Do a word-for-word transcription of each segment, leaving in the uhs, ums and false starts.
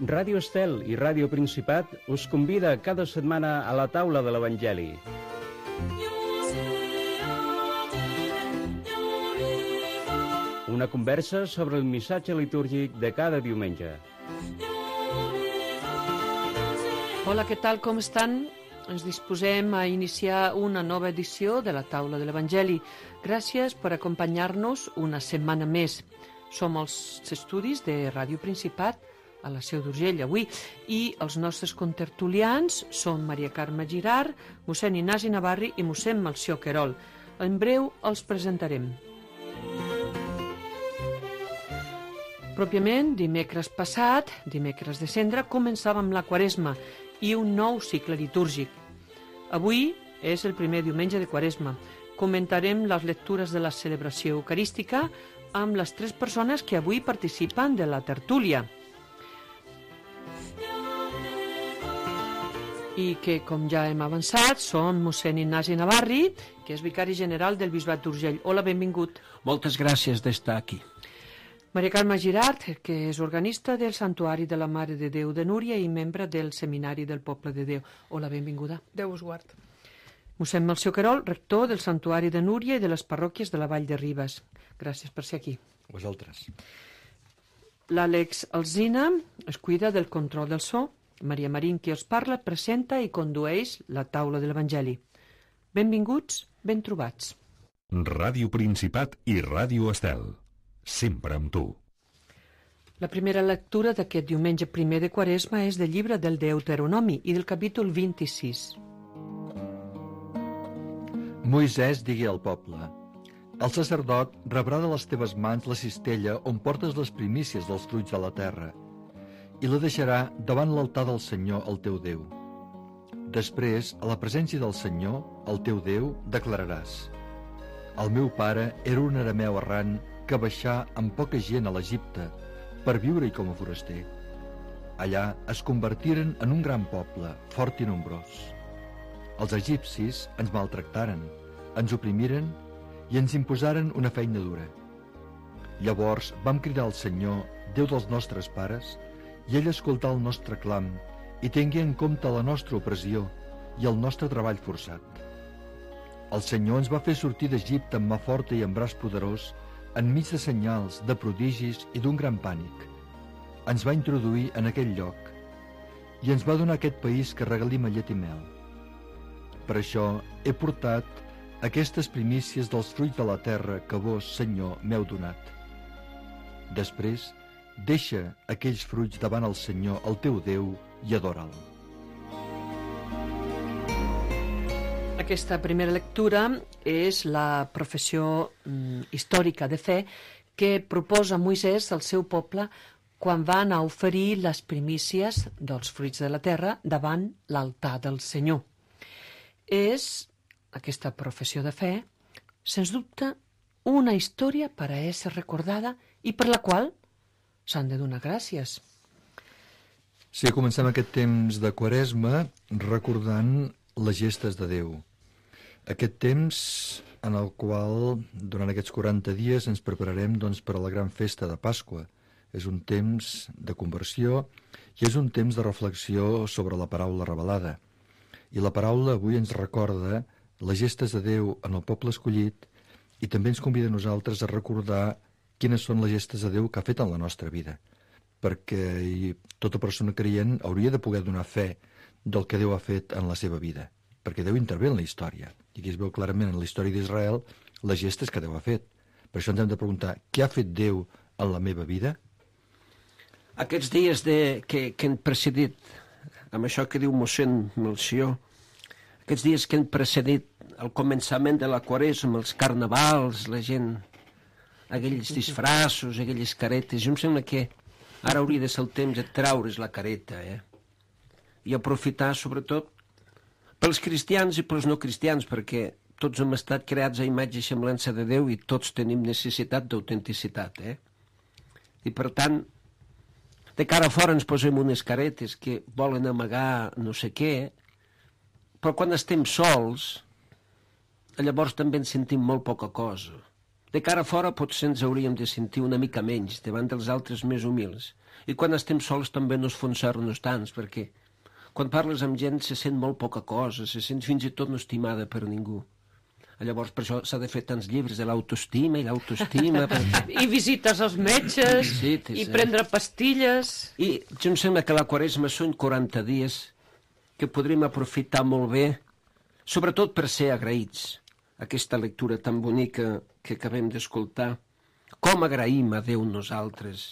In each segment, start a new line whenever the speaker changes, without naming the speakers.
Ràdio Estel i Ràdio Principat us convida cada setmana a la taula de l'Evangeli. Una conversa sobre el missatge litúrgic de cada diumenge.
Hola, què tal, com estan? Ens disposem a iniciar una nova edició de la taula de l'Evangeli. Gràcies per acompanyar-nos una setmana més. Som als estudis de Ràdio Principat a la Seu d'Urgell avui, i els nostres contertulians són Maria Carme Girart, mossèn Ignasi Navarri i mossèn Melcior Querol. En breu els presentarem. Pròpiament, dimecres passat, dimecres de Cendra, començàvem la Quaresma i un nou cicle litúrgic. Avui és el primer diumenge de Quaresma. Comentarem les lectures de la celebració eucarística amb les tres persones que avui participen de la tertúlia, i que, com ja hem avançat, són mossèn Ignasi Navarri, que és vicari general del Bisbat d'Urgell. Hola, benvingut.
Moltes gràcies d'estar aquí.
Maria Carme Girart, que és organista del Santuari de la Mare de Déu de Núria i membre del Seminari del Poble de Déu. Hola, benvinguda.
Déu us guard.
Mossèn Melcior Querol, rector del Santuari de Núria i de les parròquies de la Vall de Ribes. Gràcies per ser aquí.
Vosaltres.
L'Àlex Alsina es cuida del control del so. Maria Marín, qui els parla, presenta i condueix la taula de l'Evangeli. Benvinguts, ben trobats.
Ràdio Principat i Ràdio Estel. Sempre amb tu.
La primera lectura d'aquest diumenge primer de Quaresma és del llibre del Deuteronomi i del capítol vint-i-sis.
Moisès digui al poble: el sacerdot rebrà de les teves mans la cistella on portes les primícies dels fruits de la terra, i la deixarà davant l'altar del Senyor, el teu Déu. Després, a la presència del Senyor, el teu Déu, declararàs: el meu pare era un arameu errant que baixà amb poca gent a l'Egipte per viure-hi com a foraster. Allà es convertiren en un gran poble, fort i nombrós. Els egipcis ens maltractaren, ens oprimiren i ens imposaren una feina dura. Llavors vam cridar al Senyor, Déu dels nostres pares, i ell escoltà el nostre clam i tingui en compte la nostra opressió i el nostre treball forçat. El Senyor ens va fer sortir d'Egipte amb mà forta i amb braç poderós, enmig de senyals, de prodigis i d'un gran pànic. Ens va introduir en aquell lloc i ens va donar aquest país que regalim a llet i mel. Per això he portat aquestes primícies dels fruits de la terra que vos, Senyor, m'heu donat. Després, deixa aquells fruits davant el Senyor, el teu Déu, i adora'l.
Aquesta primera lectura és la professió mm, històrica de fe que proposa Moisès al seu poble quan va anar a oferir les primícies dels fruits de la terra davant l'altar del Senyor. És, aquesta professió de fe, sens dubte, una història per a ésser recordada i per la qual s'han de donar gràcies.
Sí, comencem aquest temps de Quaresma recordant les gestes de Déu. Aquest temps en el qual, durant aquests quaranta dies, ens prepararem doncs, per a la gran festa de Pasqua. És un temps de conversió i és un temps de reflexió sobre la paraula revelada. I la paraula avui ens recorda les gestes de Déu en el poble escollit i també ens convida a nosaltres a recordar quines són les gestes de Déu que ha fet en la nostra vida, perquè tota persona creient hauria de poder donar fe del que Déu ha fet en la seva vida, perquè Déu intervé en la història, i aquí es veu clarament en la història d'Israel les gestes que Déu ha fet. Per això ens hem de preguntar, què ha fet Déu en la meva vida?
Aquests dies de, que, que han precedit, amb això que diu mossèn Melcior, aquests dies que han precedit el començament de la Quaresma, els carnavals, la gent, aquells disfraços, aquelles caretes, jo em sembla que ara hauria de ser el temps de traure's la careta, eh? I aprofitar, sobretot, pels cristians i pels no cristians, perquè tots hem estat creats a imatge i semblança de Déu i tots tenim necessitat d'autenticitat, eh? I per tant, de cara a fora ens posem unes caretes que volen amagar no sé què, però quan estem sols, llavors també ens sentim molt poca cosa. De cara a fora potser ens hauríem de sentir una mica menys davant dels altres més humils. I quan estem sols també no esfonsar-nos tants, perquè quan parles amb gent se sent molt poca cosa, se sent fins i tot no estimada per ningú. Llavors per això s'ha de fer tants llibres de l'autoestima i l'autoestima. Perquè...
I visites als metges,
Visites,
i
eh?
prendre pastilles...
I jo em sembla que la Quaresma són quaranta dies que podríem aprofitar molt bé, sobretot per ser agraïts. Aquesta lectura tan bonica que acabem d'escoltar. Com agraïm a Déu nosaltres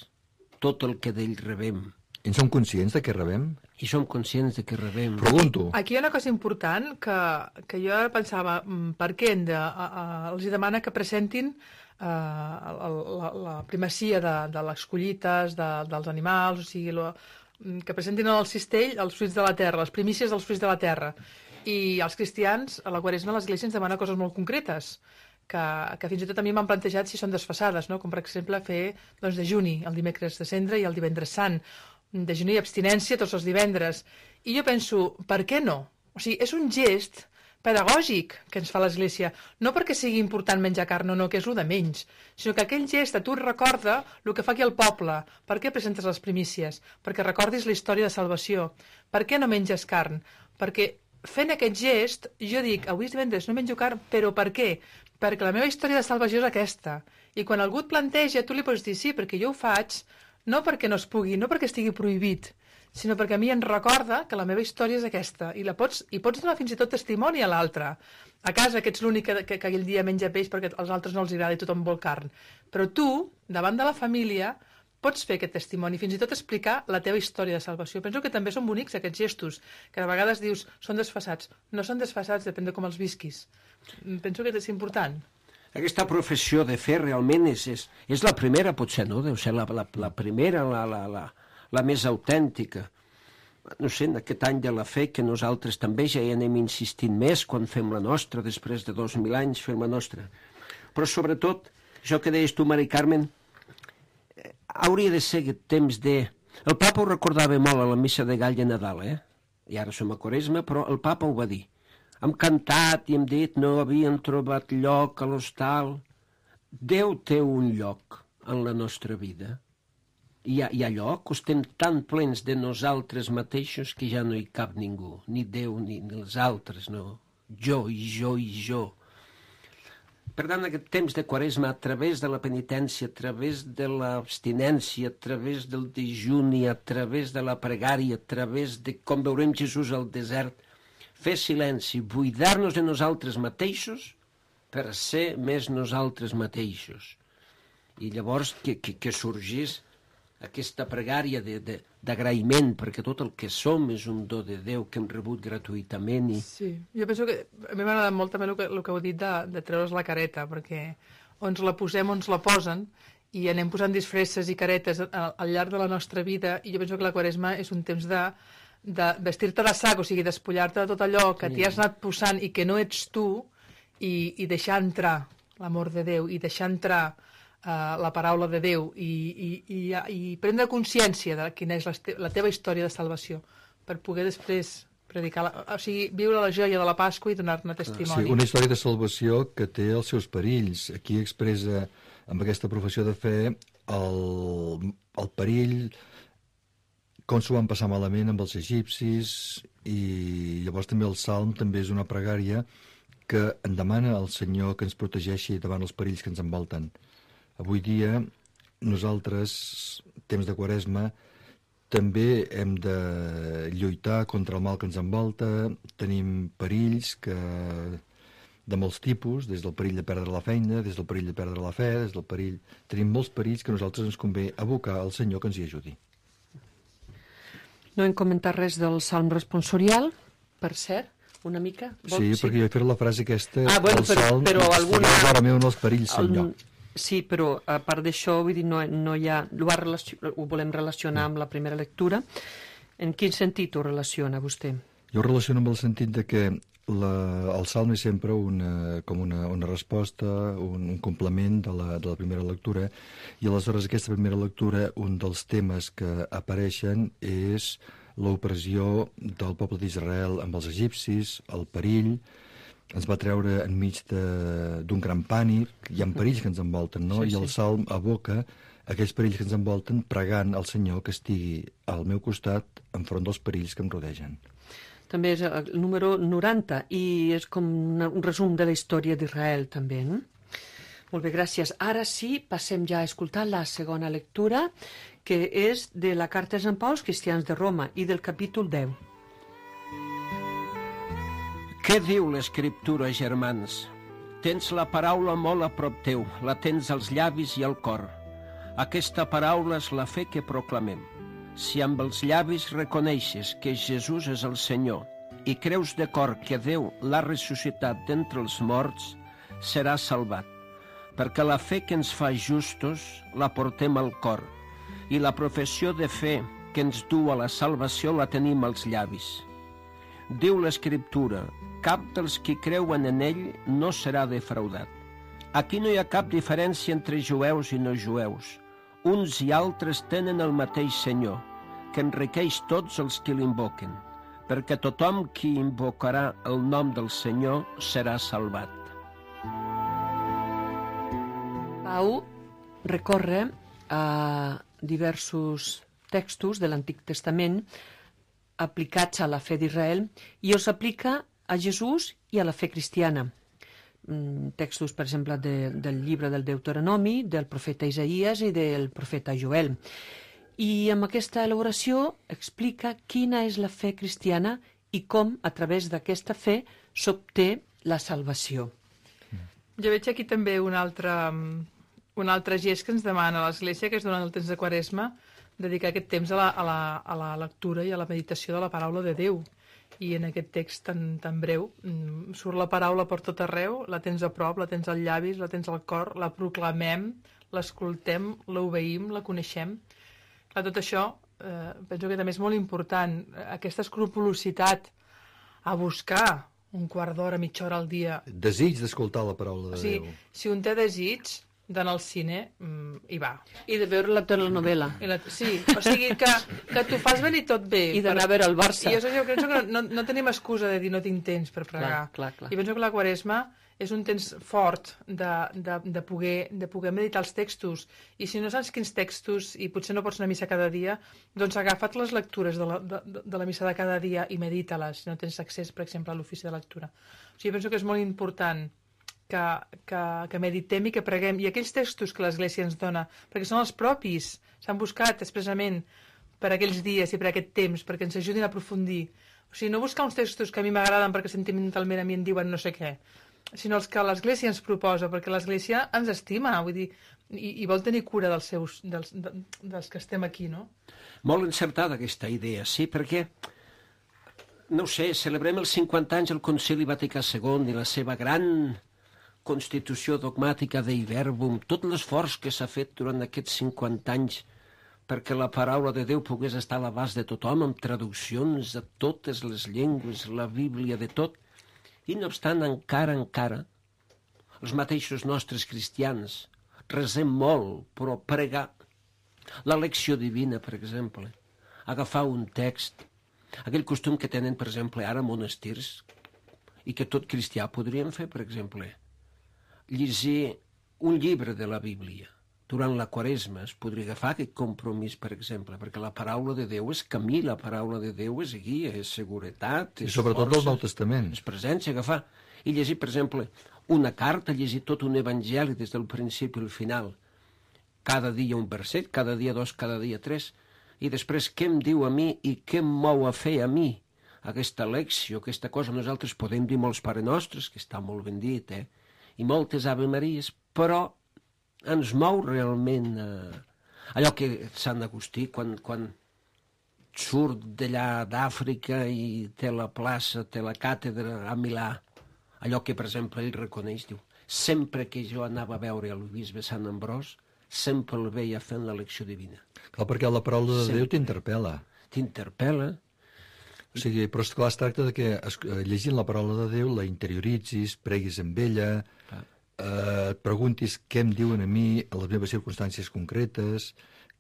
tot el que d'ell rebem.
I en som conscients de què rebem?
I som conscients de que rebem.
Pregunto.
Aquí hi ha una cosa important que, que jo ara pensava, mm, per què hem de, a, a, els demana que presentin eh, la, la, la primacia de, de les collites, de, dels animals, o sigui, lo, que presentin en el cistell els fruits de la terra, les primícies dels fruits de la terra. I els cristians, a la Quaresma, l'església ens demana coses molt concretes, que, que fins i tot a mi m'han plantejat si són desfasades, no? Com per exemple fer doncs, dejuni el dimecres de cendre i el divendres sant, dejuni i abstinència tots els divendres. I jo penso, per què no? O sigui, és un gest pedagògic que ens fa l'Església, no perquè sigui important menjar carn o no, que és el de menys, sinó que aquell gest a tu et recorda el que fa aquí el poble. Per què presentes les primícies? Perquè recordis la història de salvació. Per què no menges carn? Perquè fent aquest gest, jo dic, avui és divendres, no menjo carn, però per què? Perquè la meva història de salvació és aquesta. I quan algú et planteja, tu li pots dir sí, perquè jo ho faig, no perquè no es pugui, no perquè estigui prohibit, sinó perquè a mi em recorda que la meva història és aquesta, i la pots, i pots donar fins i tot testimoni a l'altre. A casa, que ets l'únic que, que, que aquell dia menja peix perquè als altres no els agrada i tothom vol carn. Però tu, davant de la família, pots fer aquest testimoni, fins i tot explicar la teva història de salvació. Penso que també són bonics aquests gestos, que a vegades dius, són desfasats. No són desfasats, depèn de com els visquis. Penso que és important.
Aquesta professió de fe realment és, és, és la primera, potser, no? Deu ser la, la, la primera, la, la, la, la més autèntica. No sé, en aquest any de la fe que nosaltres també ja hi anem insistint més quan fem la nostra, després de dos mil anys fem la nostra. Però sobretot, això que deies tu, Mari Carmen, eh, hauria de ser aquest temps de... El papa ho recordava molt a la missa de gall de Nadal, eh? I ara som a Quaresma, però el papa ho va dir. Hem cantat i hem dit no havíem trobat lloc a l'hostal. Déu té un lloc en la nostra vida. Hi ha, hi ha lloc, estem tan plens de nosaltres mateixos que ja no hi cap ningú, ni Déu ni, ni els altres, no. Jo i jo i jo. Per tant, aquest temps de Quaresma, a través de la penitència, a través de l'abstinència, a través del dejuni, a través de la pregària, a través de com veurem Jesús al desert, fer silenci, buidar-nos de nosaltres mateixos per ser més nosaltres mateixos. I llavors que, que, que sorgís aquesta pregària d'agraïment, perquè tot el que som és un do de Déu que hem rebut gratuïtament. I...
Sí, jo penso que a mi m'ha agradat molt també el que, el que heu dit de, de treure's la careta, perquè o ens la posem o ens la posen, i anem posant disfresses i caretes al, al llarg de la nostra vida, i jo penso que la Quaresma és un temps de de vestir-te de sac, o sigui, despullar-te de tot allò que t'hi has anat posant i que no ets tu, i, i deixar entrar l'amor de Déu, i deixar entrar uh, la paraula de Déu, i, i, i, i prendre consciència de quina és la, te la teva història de salvació, per poder després predicar, la, o sigui, viure la joia de la Pasqua i donar-ne testimoni.
Sí, una història de salvació que té els seus perills. Aquí expressa, amb aquesta professió de fe, el, el perill, com s'ho van passar malament amb els egipcis, i llavors també el Salm també és una pregària que en demana al Senyor que ens protegeixi davant els perills que ens envolten. Avui dia, nosaltres, temps de Quaresma, també hem de lluitar contra el mal que ens envolta, tenim perills que, de molts tipus, des del perill de perdre la feina, des del perill de perdre la fe, des del perill... Tenim molts perills que nosaltres ens convé abocar al Senyor que ens hi ajudi.
No hem comentat res del Salm responsorial, per cert, una mica.
Vol? Sí, sí, perquè jo he fet la frase aquesta
ah, bueno,
del
però,
Salm,
però alguna...
ara meu en els perills, Senyor.
El... Sí, però a part d'això, vull dir, no, no hi ha... Ho, relacion... ho volem relacionar amb la primera lectura. En quin sentit ho relaciona vostè?
Jo ho relaciono amb el sentit de que la, el Salm és sempre una, com una, una resposta, un, un complement de la, de la primera lectura, i aleshores aquesta primera lectura, un dels temes que apareixen és l'opressió del poble d'Israel amb els egipcis, el perill, ens va treure enmig de- d'un gran pànic, hi ha perills que ens envolten, no?
Sí,
I el
sí.
Salm aboca aquells perills que ens envolten pregant al Senyor que estigui al meu costat enfront dels perills que em rodegen.
També és el número noranta i és com una, un resum de la història d'Israel, també. No? Molt bé, gràcies. Ara sí, passem ja a escoltar la segona lectura, que és de la carta de Sant Pau als cristians de Roma i del capítol deu.
Què diu l'Escriptura, germans? Tens la paraula molt a prop teu, la tens als llavis i al cor. Aquesta paraula és la fe que proclamem. Si amb els llavis reconeixes que Jesús és el Senyor i creus de cor que Déu l'ha ressuscitat d'entre els morts, seràs salvat, perquè la fe que ens fa justos la portem al cor i la professió de fe que ens du a la salvació la tenim als llavis. Diu l'Escriptura, cap dels qui creuen en ell no serà defraudat. Aquí no hi ha cap diferència entre jueus i no jueus. Uns i altres tenen el mateix Senyor, que enriqueix tots els qui l'invoquen, perquè tothom qui invocarà el nom del Senyor serà salvat.
Pau recorre a diversos textos de l'Antic Testament aplicats a la fe d'Israel i els aplica a Jesús i a la fe cristiana. Textos, per exemple, de, del llibre del Deuteronomi, del profeta Isaïes i del profeta Joel. I amb aquesta elaboració explica quina és la fe cristiana i com, a través d'aquesta fe, s'obté la salvació.
Jo veig aquí també un altre, un altre gest que ens demana l'Església, que és durant el temps de Quaresma, dedicar aquest temps a la, a, la, a la lectura i a la meditació de la paraula de Déu. I en aquest text tan, tan breu surt la paraula per tot arreu, la tens a prop, la tens als llavis, la tens al cor, la proclamem, l'escoltem, l'obeïm, la coneixem. Clar, tot això eh, penso que també és molt important, aquesta escrupolositat a buscar un quart d'hora, mitja hora al dia.
Desig d'escoltar la paraula de
O sigui,
Déu.
si un té desig d'anar al cine, mm, hi va.
I de veure la telenovela.
I la, sí, o sigui que, que t'ho fas venir tot bé.
I d'anar a veure el Barça.
I jo, jo penso que no, no, no tenim excusa de dir no tinc temps per pregar.
Clar, clar, clar.
I penso que la Quaresma és un temps fort de, de, de, poder, de poder meditar els textos. I si no saps quins textos, i potser no pots anar a missa cada dia, doncs agafa't les lectures de la, de, de la missa de cada dia i medita-les, si no tens accés, per exemple, a l'ofici de lectura. O sigui, penso que és molt important que, que, que meditem i que preguem. I aquells textos que l'Església ens dona, perquè són els propis, s'han buscat expressament per aquells dies i per aquest temps, perquè ens ajudin a aprofundir. O sigui, no buscar uns textos que a mi m'agraden perquè sentimentalment a mi em diuen no sé què, sinó els que l'Església ens proposa, perquè l'Església ens estima, vull dir, i, i vol tenir cura dels, seus, dels, de, dels que estem aquí, no?
Molt encertada aquesta idea, sí, perquè, no ho sé, celebrem els cinquanta anys del Concili Vaticà segon i la seva gran constitució dogmàtica Dei Verbum, tot l'esforç que s'ha fet durant aquests cinquanta anys perquè la paraula de Déu pogués estar a l'abast de tothom, amb traduccions a totes les llengües, la Bíblia, de tot. I no obstant, encara, encara, els mateixos nostres cristians resem molt, però pregar la lecció divina, per exemple, agafar un text, aquell costum que tenen, per exemple, ara monestirs, i que tot cristià podríem fer, per exemple, llegir un llibre de la Bíblia. Durant la Quaresma es podria agafar aquest compromís, per exemple, perquè la paraula de Déu és camí, la paraula de Déu és guia, és seguretat, és
I sobretot
força,
del Nou Testament.
és presència, agafar i llegir, per exemple, una carta, llegir tot un evangeli des del principi al final. Cada dia un verset, cada dia dos, cada dia tres, i després què em diu a mi i què em mou a fer a mi aquesta lecció, aquesta cosa. Nosaltres podem dir molts Pare Nostres, que està molt ben dit, eh? I moltes Ave Maries, però ens mou realment eh, allò que Sant Agustí, quan, quan surt d'allà d'Àfrica i té la plaça, té la càtedra a Milà, allò que, per exemple, ell reconeix, diu, sempre que jo anava a veure el bisbe Sant Ambròs, sempre el veia fent la lecció divina.
Clar, perquè la paraula de
Sempre.
Déu t'interpel·la.
T'interpel·la.
O sigui, però esclar, es tracta de que es- eh, llegint la paraula de Déu la interioritzis, preguis amb ella,
Clar.
eh, et preguntis què em diuen a mi a les meves circumstàncies concretes,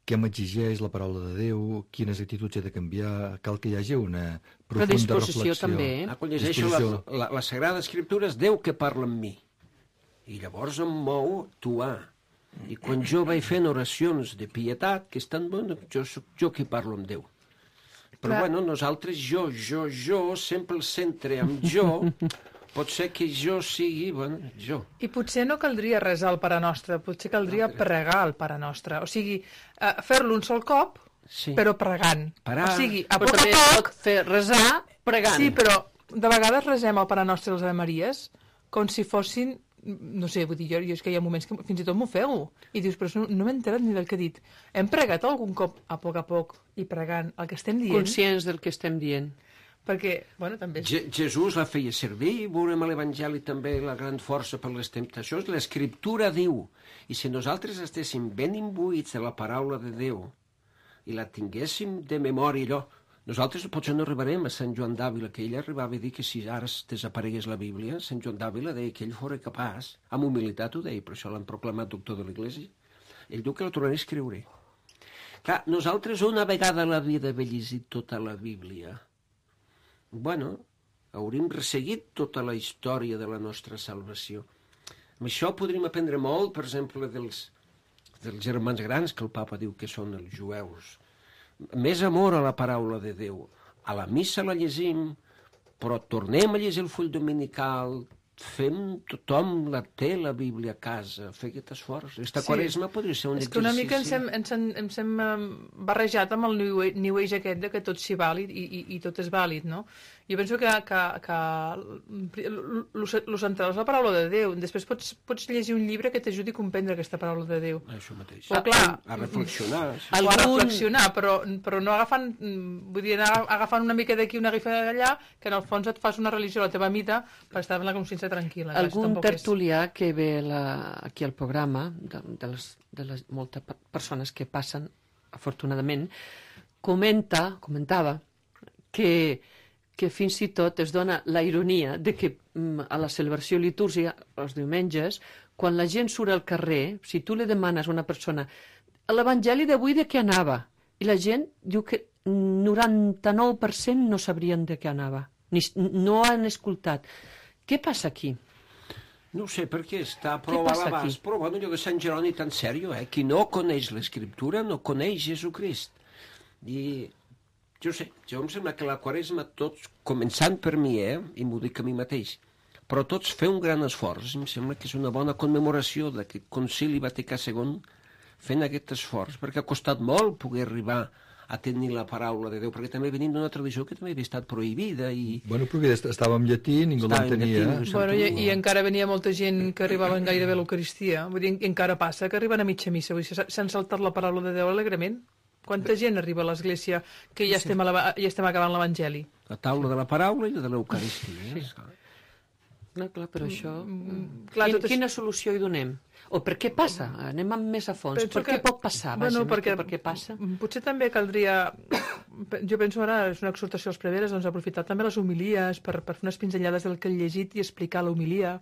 què m'exigeix la paraula de Déu, quines actituds he de canviar, cal que hi hagi una profunda
Predisposició
reflexió.
també.
Ah, quan llegeixo la,
Disposició.
la, la Sagrada Escriptura és Déu que parla amb mi. I llavors em mou actuar. I quan jo vaig fent oracions de pietat, que estan bones, jo soc jo que parlo amb Déu. Però,
Clar.
bueno, nosaltres, jo, jo, jo, sempre el centre amb jo, pot ser que jo sigui, bueno, jo.
I potser no caldria resar el Pare Nostre, potser caldria pregar el Pare Nostre. O sigui, eh, fer-lo un sol cop,
Sí.
però pregant.
Parar.
O sigui, a
Però
poc a
també
poc...
pot fer resar pregant.
Sí, però de vegades resem el Pare Nostre i les Ave Maries com si fossin... No sé, vull dir, jo, jo és que hi ha moments que fins i tot m'ofego. I dius, però no, no m'he enterat ni del que he dit. Hem pregat algun cop, a poc a poc, i pregant el que estem dient?
Conscients del que estem dient.
Perquè, bueno, també...
Je Jesús la feia servir, veurem a l'Evangeli també la gran força per les temptacions. L'Escriptura diu, i si nosaltres estéssim ben imbuïts de la paraula de Déu i la tinguéssim de memòria, allò, nosaltres potser no arribarem a Sant Joan d'Àvila, que ell arribava a dir que si ara es desaparegués la Bíblia, Sant Joan d'Àvila deia que ell fora capaç, amb humilitat ho deia, per això l'han proclamat doctor de l'Església, ell diu que la tornarà a escriure. Clar, nosaltres una vegada a la vida haver llegit tota la Bíblia, bueno, hauríem resseguit tota la història de la nostra salvació. Amb això podríem aprendre molt, per exemple, dels, dels germans grans, que el papa diu que són els jueus. Més amor a la paraula de Déu. A la missa la llegim, però tornem a llegir el full dominical, fem, tothom la té, la Bíblia, a casa, fer aquest esforç. Esta
Sí.
quaresma podria ser un
És que una mica ens hem,
exercici.
ens, hem, ens hem eh, barrejat amb el new age, new age aquest de que tot s'hi vàlid i, i, i tot és vàlid, no? Jo penso que, que, que el central és la paraula de Déu. Després pots, pots llegir un llibre que t'ajudi a comprendre aquesta paraula de Déu.
Això mateix.
Però clar,
A reflexionar. Sí.
o a
Algun-
reflexionar, però, però no agafant, mm, vull dir, anar agafant una mica d'aquí, una mica d'allà, que en el fons et fas una religió a la teva mida per estar amb la consciència tranquil·la.
Algun
Tampoc és-
tertulià que ve la, aquí al programa, de, de, les, de les moltes pe- persones que passen, afortunadament, comenta, comentava que, que fins i tot es dona la ironia de que mm, a la celebració litúrgia, els diumenges, quan la gent surt al carrer, si tu li demanes a una persona l'Evangeli d'avui de què anava, i la gent diu que noranta-nou per cent no sabrien de què anava, ni, no han escoltat. Què passa aquí?
No ho sé, perquè està prou a
passa
l'abast,
aquí?
però bueno, allò de Sant Jeroni tan sèrio, eh? Qui no coneix l'Escriptura no coneix Jesucrist. I jo sé, jo em sembla que la Quaresma tots, començant per mi, eh? I m'ho dic a mi mateix, però tots fer un gran esforç, em sembla que és una bona commemoració d'aquest concili Vaticà segon, fent aquest esforç, perquè ha costat molt poder arribar a tenir la paraula de Déu, perquè també venim d'una tradició que també havia estat prohibida i...
Bueno, perquè est- estava en llatí, ningú
Estava en
l'entenia.
llatí, no
Bueno, i, i encara venia molta gent que arribaven gairebé a l'Eucaristia. Vull dir, encara passa que arriben a mitja missa. Vull dir, s'ha- s'han saltat la paraula de Déu alegrement. Quanta gent arriba a l'església que ja estem, a la, ja estem acabant l'Evangeli?
La taula de la paraula i la de l'Eucaristia. Eh?
No, clar, però això...
clar,
Quin,
tot és-
Quina solució hi donem? O per què passa? Anem amb més a fons.
Penso
Per què
que-
pot passar? Vaja,
Bueno,
més
perquè,
que per què passa?
Potser també caldria... Jo penso ara, és una exhortació als preveres, doncs aprofitar també les homilies per, per fer unes pinzellades del que he llegit i explicar l'homilia.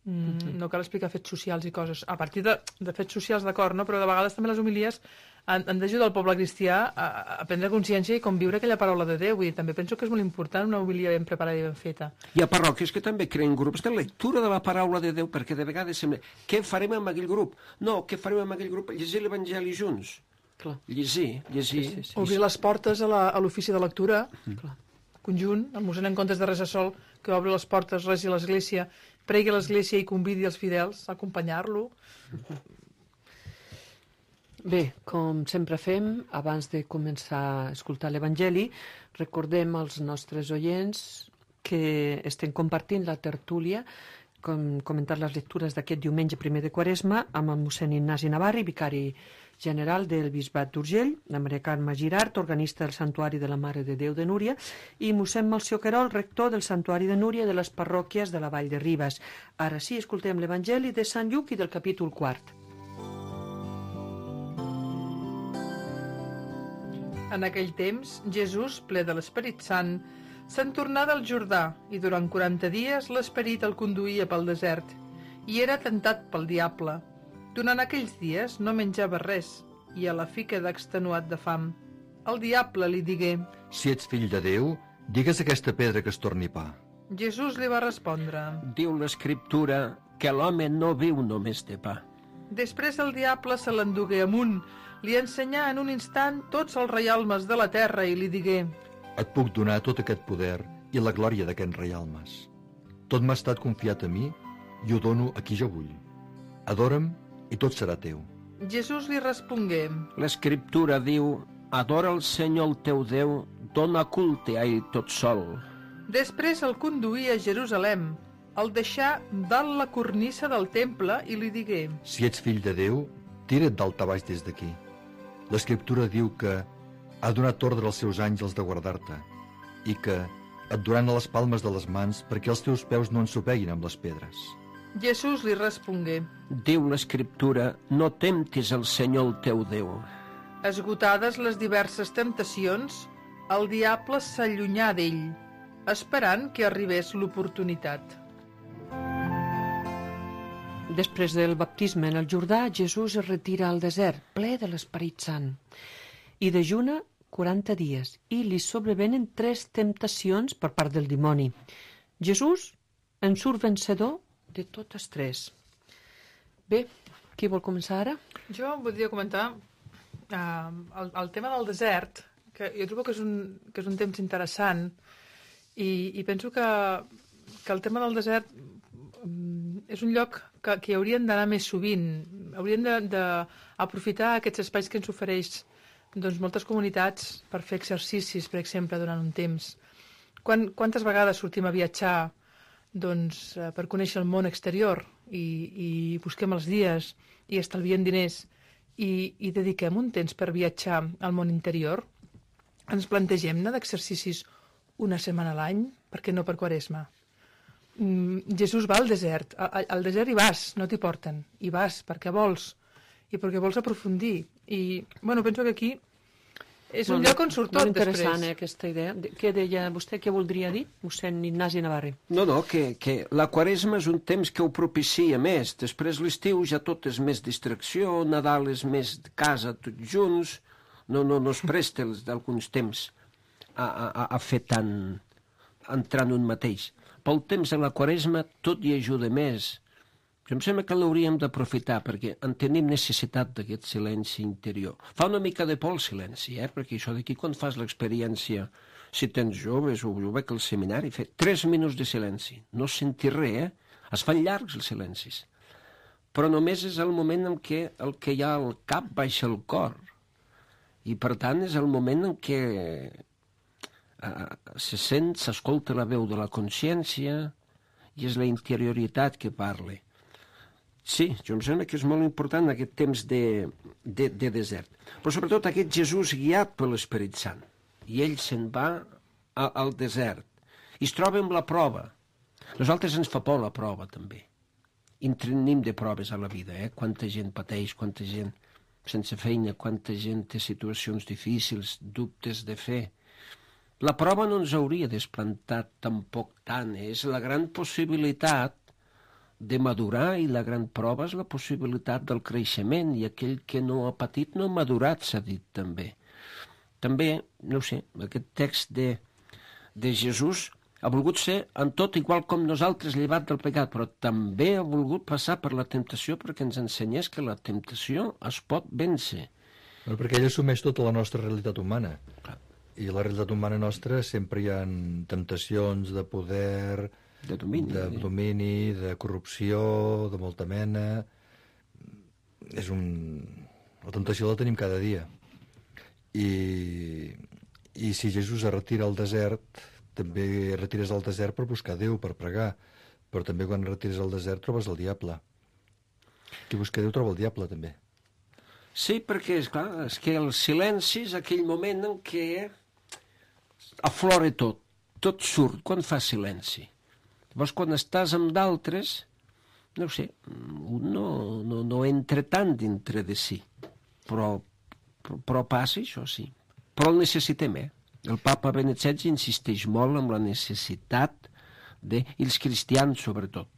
Mm,
Mhm.
No cal explicar fets socials i coses. A partir de, de fets socials, d'acord, no? Però de vegades també les homilies han, han d'ajudar el poble cristià a, a prendre consciència i conviure aquella paraula de Déu. Vull dir, també penso que és molt important una homilia ben preparada i ben feta.
Hi ha parròquies que també creen grups de lectura de la paraula de Déu, perquè de vegades sembla, què farem amb aquell grup? No, què farem amb aquell grup? Llegir l'Evangeli junts.
Clar.
Llegir, llegir.
Sí, sí, sí.
Obrir les portes a la- a l'ofici de lectura,
Clar.
conjunt, el mossèn en comptes de resar sol, que obri les portes, resi a l'església, pregui a l'església i convidi els fidels a acompanyar-lo.
Bé, com sempre fem, abans de començar a escoltar l'Evangeli, recordem als nostres oients que estem compartint la tertúlia, com comentar les lectures d'aquest diumenge primer de Quaresma, amb el mossèn Ignasi Navarri, vicari general del Bisbat d'Urgell, la Maria Carme Girart, organista del Santuari de la Mare de Déu de Núria, i mossèn Melcior Querol, rector del Santuari de Núria de les parròquies de la Vall de Ribes. Ara sí, escoltem l'Evangeli de Sant Lluc i del capítol quart.
En aquell temps, Jesús, ple de l'Esperit Sant, se'n tornà del Jordà i durant quaranta dies l'Esperit el conduïa pel desert i era tentat pel diable. Durant aquells dies no menjava res i a la fi queda extenuat de fam. El diable li digué:
Si ets fill de Déu, digues a aquesta pedra que es torni pa.
Jesús li va respondre:
Diu l'Escriptura que l'home no viu només de pa.
Després el diable se l'endugué amunt, li ensenyà en un instant tots els reialmes de la terra i li digué:
Et puc donar tot aquest poder i la glòria d'aquests reialmes. Tot m'ha estat confiat a mi i ho dono a qui jo vull. Adora'm i tot serà teu.
Jesús li respongué:
L'Escriptura diu: Adora el Senyor el teu Déu, dona culte a ell tot sol.
Després el conduí a Jerusalem, el deixà dalt la cornissa del temple i li digué:
Si ets fill de Déu, tira't dalt a baix des d'aquí. L'Escriptura diu que ha donat ordre als seus àngels de guardar-te i que et duran a les palmes de les mans perquè els teus peus no ensopeguin amb les pedres.
Jesús li respongué:
Diu l'Escriptura: No temptis el Senyor el teu Déu.
Esgotades les diverses temptacions, el diable s'allunyà d'ell, esperant que arribés l'oportunitat.
Després del baptisme en el Jordà, Jesús es retira al desert, ple de l'Esperit Sant, i dejuna quaranta dies, i li sobrevenen tres temptacions per part del dimoni. Jesús en surt vencedor de totes tres. Bé, qui vol començar ara?
Jo voldria comentar uh, el, el tema del desert, que jo trobo que és un, que és un temps interessant, i, i penso que, que el tema del desert um, és un lloc que, que hi haurien d'anar més sovint. Hauríem d'aprofitar aquests espais que ens ofereix doncs, moltes comunitats per fer exercicis, per exemple, durant un temps. Quan, quantes vegades sortim a viatjar doncs, eh, per conèixer el món exterior i, i busquem els dies i estalviem diners i, i dediquem un temps per viatjar al món interior? Ens plantegem anar d'exercicis una setmana a l'any, per què no per Quaresma? Mm, Jesús va al desert. A, a, al desert hi vas, no t'hi porten. Hi vas perquè vols i perquè vols aprofundir. I, bueno, penso que aquí és un
Molt-
lloc on surt tot
molt interessant,
després.
eh, aquesta idea. De- Què deia vostè, què voldria dir? Mossèn Ignasi Navarre.
No, no, que, que la Quaresma és un temps que ho propicia més. Després l'estiu ja tot és més distracció, Nadal és més de casa tots junts, no, no, no es presta els d'alguns temps a, a, a fer tant, entrar en un mateix. Pel temps de la Quaresma tot hi ajuda més. Jo em sembla que l'hauríem d'aprofitar perquè en tenim necessitat d'aquest silenci interior. Fa una mica de por el silenci, eh? Perquè això d'aquí quan fas l'experiència, si tens joves o jo veig al seminari, fer tres minuts de silenci, no sentir res, eh? Es fan llargs els silencis. Però només és el moment en què el que hi ha al cap baixa el cor. I per tant és el moment en què eh, se sent, s'escolta la veu de la consciència i és la interioritat que parla. Sí, jo em sembla que és molt important aquest temps de, de, de desert. Però sobretot aquest Jesús guiat per l'Esperit Sant. I ell se'n va a, al desert. I es troba amb la prova. Nosaltres ens fa por la prova, també. Intenim de proves a la vida, eh? Quanta gent pateix, quanta gent sense feina, quanta gent té situacions difícils, dubtes de fe. La prova no ens hauria desplantat tampoc tant. Eh? És la gran possibilitat de madurar i la gran prova és la possibilitat del creixement i aquell que no ha patit no ha madurat, s'ha dit també. També, no sé, aquest text de, de Jesús ha volgut ser en tot igual com nosaltres llevat del pecat, però també ha volgut passar per la temptació perquè ens ensenyés que la temptació es pot vèncer.
Bueno, perquè ell assumeix tota la nostra realitat humana.
Clar.
I la realitat humana nostra sempre hi ha temptacions de poder,
De domini.
de domini, de corrupció, de molta mena. És un... La temptació la tenim cada dia. I, i si Jesús es retira al desert, també es retires al desert per buscar Déu, per pregar. Però també quan retires al desert trobes el diable. Qui busca Déu troba el diable, també.
Sí, perquè, és clar, és que el silenci és aquell moment en què aflora tot, tot surt quan fa silenci. Llavors, quan estàs amb d'altres, no sé, un no, no, no entra tant dintre de si, però, però, però passa això, sí. Però el necessitem, eh? El papa Benet setze insisteix molt en la necessitat de, i els cristians sobretot,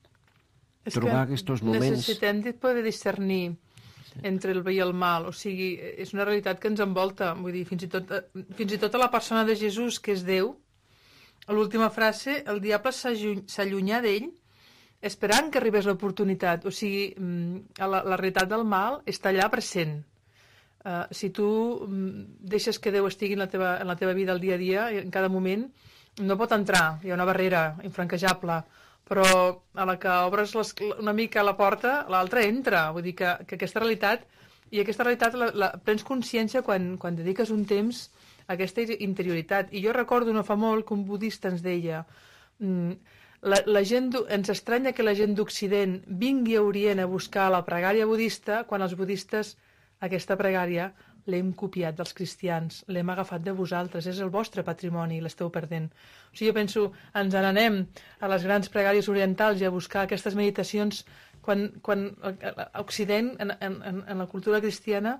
És
trobar
que
aquests moments.
necessitem de poder discernir entre el bé i el mal. O sigui, és una realitat que ens envolta. Vull dir, fins i tot, fins i tot a la persona de Jesús, que és Déu, a l'última frase, el diable s'allunyà d'ell esperant que arribés l'oportunitat. O sigui, la, la realitat del mal està allà present. Uh, si tu deixes que Déu estigui en la, teva, en la teva vida al dia a dia, en cada moment, no pot entrar. Hi ha una barrera infranquejable. Però a la que obres les, una mica la porta, l'altra entra. Vull dir que, que aquesta realitat, i aquesta realitat la, la prens consciència quan, quan dediques un temps a aquesta interioritat. I jo recordo no fa molt que un budista ens deia la, la gent, ens estranya que la gent d'Occident vingui a Orient a buscar la pregària budista quan els budistes aquesta pregària l'hem copiat dels cristians, l'hem agafat de vosaltres, és el vostre patrimoni, l'esteu perdent. O sigui, jo penso, ens n'anem a les grans pregàries orientals i a buscar aquestes meditacions quan, quan a Occident, en, en, en la cultura cristiana,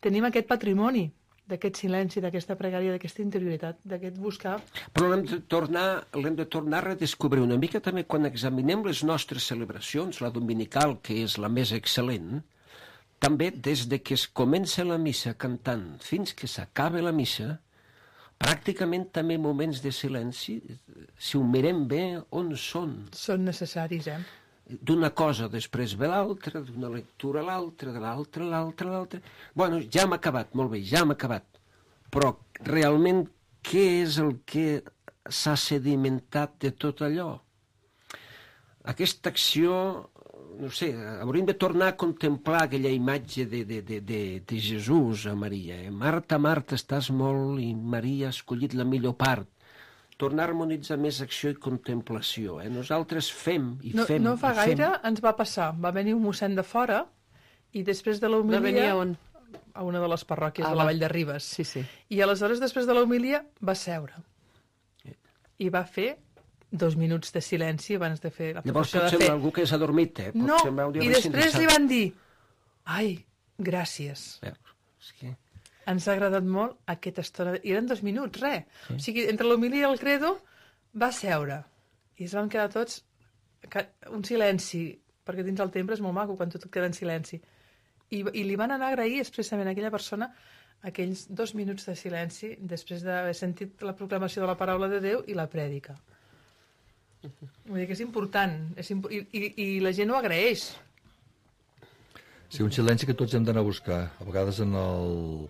tenim aquest patrimoni d'aquest silenci, d'aquesta pregària, d'aquesta interioritat, d'aquest buscar...
Però l'hem de tornar, l'hem de tornar a redescobrir una mica també quan examinem les nostres celebracions, la dominical, que és la més excel·lent, també des de que es comença la missa cantant fins que s'acaba la missa, pràcticament també moments de silenci, si ho mirem bé, on són?
Són necessaris, eh?
D'una cosa després ve l'altra, d'una lectura a l'altra, de l'altra, a l'altra, a l'altra... Bueno, ja hem acabat, molt bé, ja hem acabat. Però realment què és el que s'ha sedimentat de tot allò? Aquesta acció... no sé, hauríem de tornar a contemplar aquella imatge de, de, de, de, de Jesús a Maria. Eh? Marta, Marta, estàs molt i Maria ha escollit la millor part. Tornar a harmonitzar més acció i contemplació. Eh? Nosaltres fem i
no,
fem
No fa
i
gaire
fem.
ens va passar. Va venir un mossèn de fora i després de
Va venir
l'homilia...
a on?
A una de les parròquies
Ah,
de la
va.
Vall de Ribes.
Sí, sí.
I aleshores, després de l'homilia, va seure. I va fer dos minuts de silenci abans de fer la
Llavors
professió
pot
de
ser
fe.
algú que s'ha dormit, eh? Pot
No,
ser un
i després li van dir ai, gràcies.
Eh, és que...
Ens ha agradat molt aquesta estona. I eren dos minuts, res. Sí. O sigui, entre l'homilia i el credo va seure. I es van quedar tots un silenci, perquè dins el temple és molt maco quan tot queda en silenci. I, i li van anar a agrair expressament a aquella persona aquells dos minuts de silenci després d'haver sentit la proclamació de la paraula de Déu i la prèdica. Vull dir que és important, és imp... I, i, i la gent ho agraeix.
Sí, un silenci que tots hem d'anar a buscar. A vegades en el...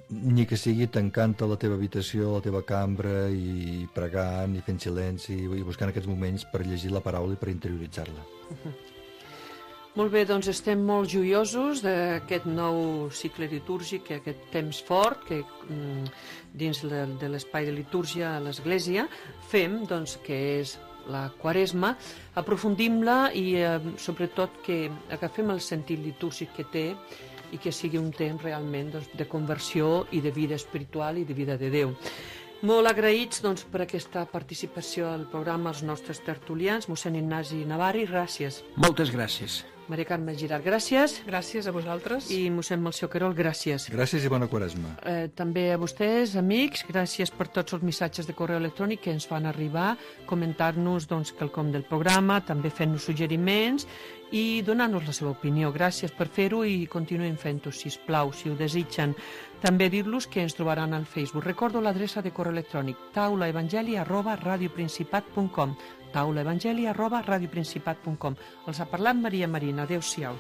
ni que sigui tancant a la teva habitació, a la teva cambra, i pregant, i fent silenci, i buscant aquests moments per llegir la paraula i per interioritzar-la.
Uh-huh. Molt bé, doncs estem molt joiosos d'aquest nou cicle litúrgic, aquest temps fort que mm, dins de, de l'espai de litúrgia a l'Església fem, doncs, que és la Quaresma, aprofundim-la i eh, sobretot que agafem el sentit litúrgic que té i que sigui un temps realment doncs, de conversió i de vida espiritual i de vida de Déu. Molt agraïts doncs, per aquesta participació al programa als nostres tertulians, mossèn Ignasi Navarri, gràcies.
Moltes gràcies.
Maria Carme Girard, gràcies.
Gràcies a vosaltres.
I mossèn Melcior Querol, gràcies.
Gràcies i bona Quaresma.
Eh, també a vostès, amics, gràcies per tots els missatges de correu electrònic que ens fan arribar, comentar-nos doncs, quelcom del programa, també fent-nos suggeriments i donar-nos la seva opinió. Gràcies per fer-ho i continuem fent-ho, sisplau, si ho desitgen. També dir-los que ens trobaran al Facebook. Recordo l'adreça de correu electrònic taulaevangeli arroba radioprincipat punt com taulaevangeli arroba radioprincipat punt com. Els ha parlat Maria Marina. Adéu-siau.